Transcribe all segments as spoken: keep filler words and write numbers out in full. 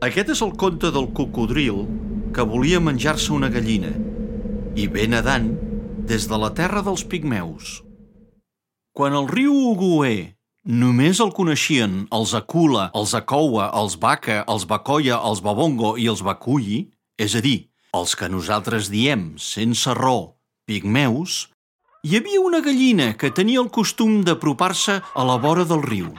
Aquest és el conte del cocodril que volia menjar-se una gallina i ve nedant des de la terra dels pigmeus. Quan el riu Ugué només el coneixien els Akula, els Akoua, els Baka, els Bakoia, els Babongo i els Bakuyi, és a dir, els que nosaltres diem, sense raó, pigmeus, hi havia una gallina que tenia el costum d'apropar-se a la vora del riu.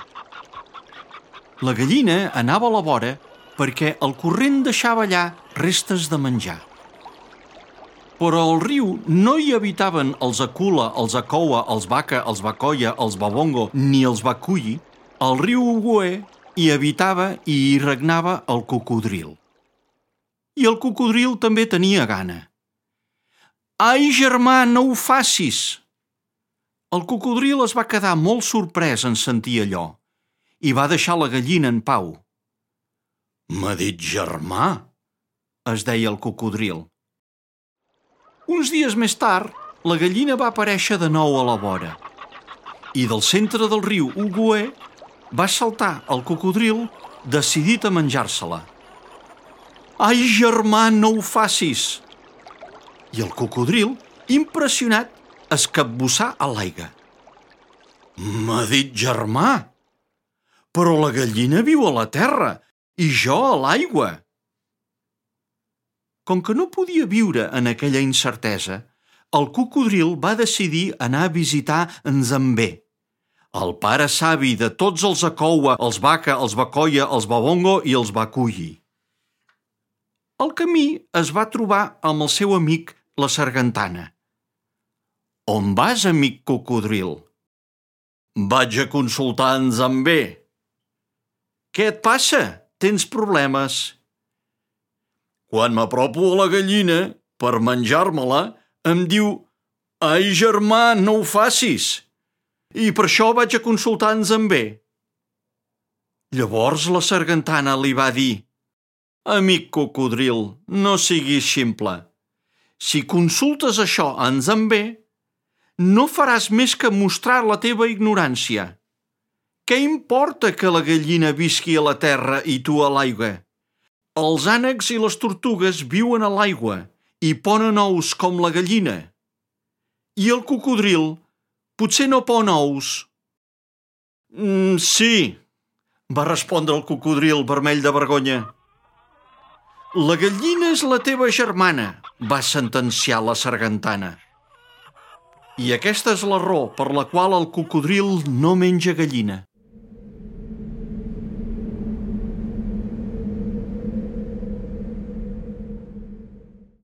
La gallina anava a la vora perquè el corrent deixava allà restes de menjar. Però al riu no hi habitaven els Akula, els Akoua, els Baka, els Bakoia, els Babongo ni els Bakuyi. Al riu Ugué hi habitava i hi regnava el cocodril. I el cocodril també tenia gana. «Ai, germà, no ho facis!» El cocodril es va quedar molt sorprès en sentir allò i va deixar la gallina en pau. «M'ha dit germà», es deia el cocodril. Uns dies més tard, la gallina va aparèixer de nou a la vora i del centre del riu Ugué va saltar el cocodril decidit a menjar-se-la. «Ai, germà, no ho facis!» I el cocodril, impressionat, es capbussà a l'aigua. «M'ha dit germà! Però la gallina viu a la terra i jo a l'aigua!» Com que no podia viure en aquella incertesa, el cocodril va decidir anar a visitar en Zambé, el pare savi de tots els Akoua, els Baka, els Bakoia, els Babongo i els Bakuyi. Al camí es va trobar amb el seu amic, la sargantana. «On vas, amic cocodril?» «Vaig a consultar en Zambé». «Què et passa? Tens problemes?» «Quan m'apropo a la gallina per menjar-me-la, em diu «Ai, germà, no ho facis!» I per això vaig a consultar en Zambé». Llavors la sargantana li va dir «Amic cocodril, no siguis ximple. Si consultes això a en Zambé, no faràs més que mostrar la teva ignorància. Què importa que la gallina visqui a la terra i tu a l'aigua? Els ànecs i les tortugues viuen a l'aigua i ponen ous com la gallina. I el cocodril potser no pon ous». Mm, «Sí», va respondre el cocodril vermell de vergonya. «La gallina és la teva germana», va sentenciar la sargantana. I aquesta és la raó per la qual el cocodril no menja gallina.